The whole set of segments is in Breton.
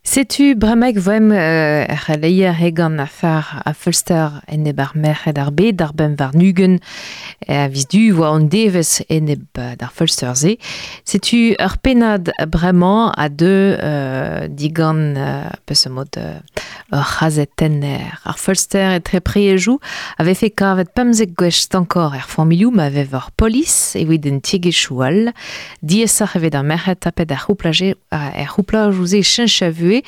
Setu bremaik voemp er c'heleier hegan afer a feulster enep ar merc'hed ar bed d'ar bemp warn-ugent a viz Du oa an devezh enep d'ar feulster-se. Setu ur pennad bremañ a deu digant peseurt mod ur c'hazetenner. Ar feulster etre priejoù a vefe kavet 15 gwech stankoc'h er familhoù ma vev ur polis evit en tiegezhioù all. Diaesoc'h e vez d'ar merc'hed tapet er c'houplajoù-se cheñch a vuhez,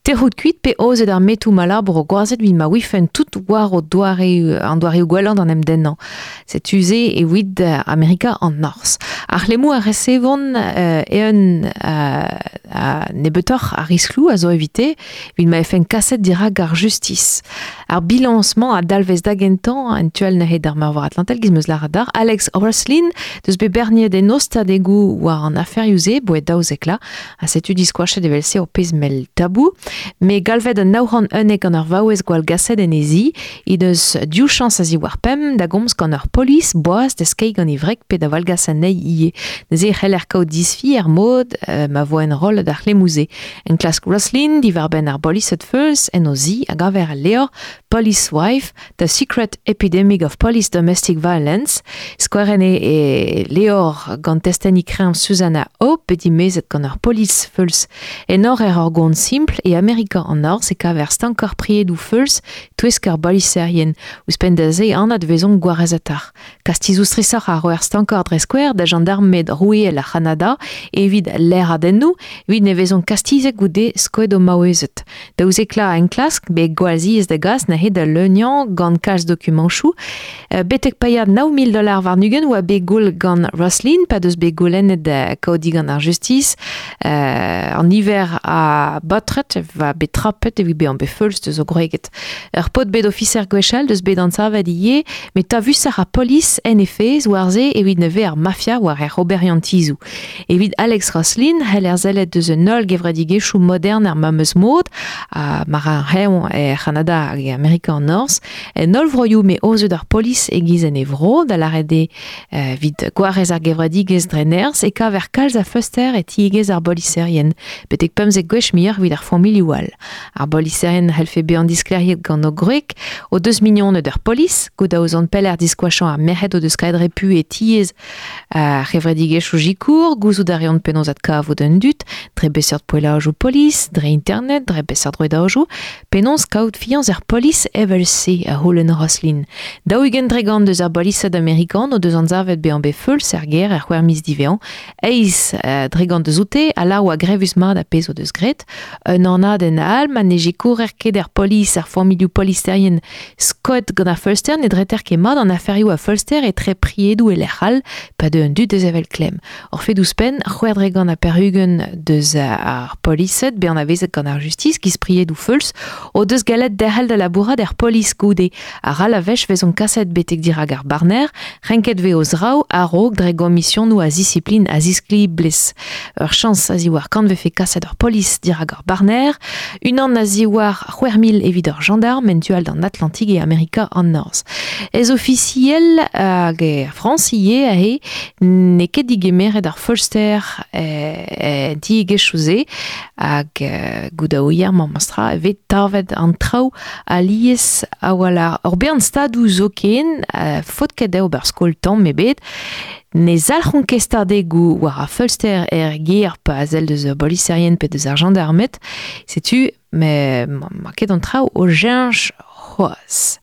tec'hout kuit pe aozet ar metoù ma labour o gwazed evit ma ouifent tout war o doare, an doareoù gwellañ d'an em dennañ. Setu se evit Amerika an Norzh. Ar c'hlemmoù a resevont eeun ha nebeutoc'h a riskloù a zo evite evit ma vefen kaset dirak ar justis. Ar bilañs-mañ a dalvez da gentañ en tu all neuze d'ar Meurvor Atlantel, giz 'm eus lâret deoc'h. Alex Roslin deus bet berniet en ostadegoù war an aferioù-se, boe 12 la, ha setu diskoachet evel-se ur pezh mell tabou. Met galvet an 911 gant ur vaouez gwallgaset en he zi, he deus div chañs a-ziwar pemp da gomz gant ur polis boas da skeiñ gant e wreg pe da wallgas anezhi ivez. Neuze e c'heller kaout disfi er mod ma vo enrollet ar c'hlemmoù-se. Enklask Roslin diwar-benn ar bolised feuls en o zi a gaver el levr Police Wife, The Secret Epidemic of Police Domestic Violence. Skouerenn eo e levr gant testeni kreñv Susanna Hope, bet dimezet gant ur polis feuls. Enor er ur gont simpl e Amerika an Norzh e kaver stankoc'h priedoù feuls touesk ar boliserien. Ouzhpenn da se anat vezont gwarezetoc'h. Kastizoù strishoc'h a roer stankoc'h dre skouer da jandarmed roueel ar C'hanada evit laeradennoù evit ne vezont kastizet goude skoet o maouezed. Daouzek enklask bet gwall ziaes da gas neuze da leuniañ gant kalz dokumantoù. Betek paeañ 9 000 dollars warn-ugent oa bet goull gant Roslin pa deus bet goulennet kaout digant ar justis an niver a baotred va bet trapet evit bezañ bet feuls deus o gwreged. Ur paotr bet ofiser gwechall deus bet anzavet ivez met tavusoc'h ar polis en he fezh war-se evit ne vez ar mafia war hec'h oberiantizoù. Evit Alex Roslin c'heller sellet deus un holl gevredigezhioù modern ar memes mod, ha mar ar c'heñv er C'hanada hag e Amerika an Norzh, en holl vroioù m'eo aozet ar polis e-giz en e vro, da lâret eo evit gwarez ar gevredigezh dre nerzh e kaver kalz a feulster e tiegezh ar boliserien, betek 15 gwech muioc'h evit ar familhoù all. Ar boliserien c'hellfe bezañ disklêriet gant o gwreg o deus mignoned ur polis, goude aozan pelec'h diskoachañ ar merc'hed o deus kaet repu e tiez ar c'hevredigezhioù sikour, gouzout a reont penaos adkavout an dud, dre beseurt poellajoù polis, dre internet, dre beseurt rouedajoù, penaos kaout fiañs er polis evel-se, a c'houlenn Roslin. 40% deus ar bolised amerikan o deus anzavet bezañ bet feuls er gêr er c'hwec'h miz diwezhañ, 8% deus oute a lâr oa grevus-mat ar pezh o deus graet. Un anadenn all ma ne sikourer ket er polis ar familhoù poliserien skoet gant ar feulster ne dreter ket mat an aferioù a feulster etre priedoù e lec'h all pa deu an dud da sevel klemm. Ur fed ouzhpenn, 86% deus ar polised bet anavezet gant ar justis giz priedoù feuls o deus gallet derc'hel da labourat er polis goude. Ha ral a wech vezont kaset betek dirak ar barner, renket vez o zraoù a-raok dre gomisionoù a zisiplin a ziskliblez. Ur chañs a-ziwar kant vefe kaset ur polis dirak ur barner, unan a-ziwar 6000 evit ur gendarm en tu all d'an Atlantik e Amerika an Norzh. Ez ofisiel hag er Frañs ivez aze n'eo ket digemeret ar feulster en tiegezhioù-se hag goudaouier memestra e vez tavet an traoù alies a-walc'h. Ur bern stadoù zoken, faot ket dezho ober skol tamm ebet, ne zalc'hont ket stadegoù war ar feulster er gêr pa sell deus ar boliserien pe deus ar jandarmed. Setu, ma ket an traoù o cheñch c'hoazh.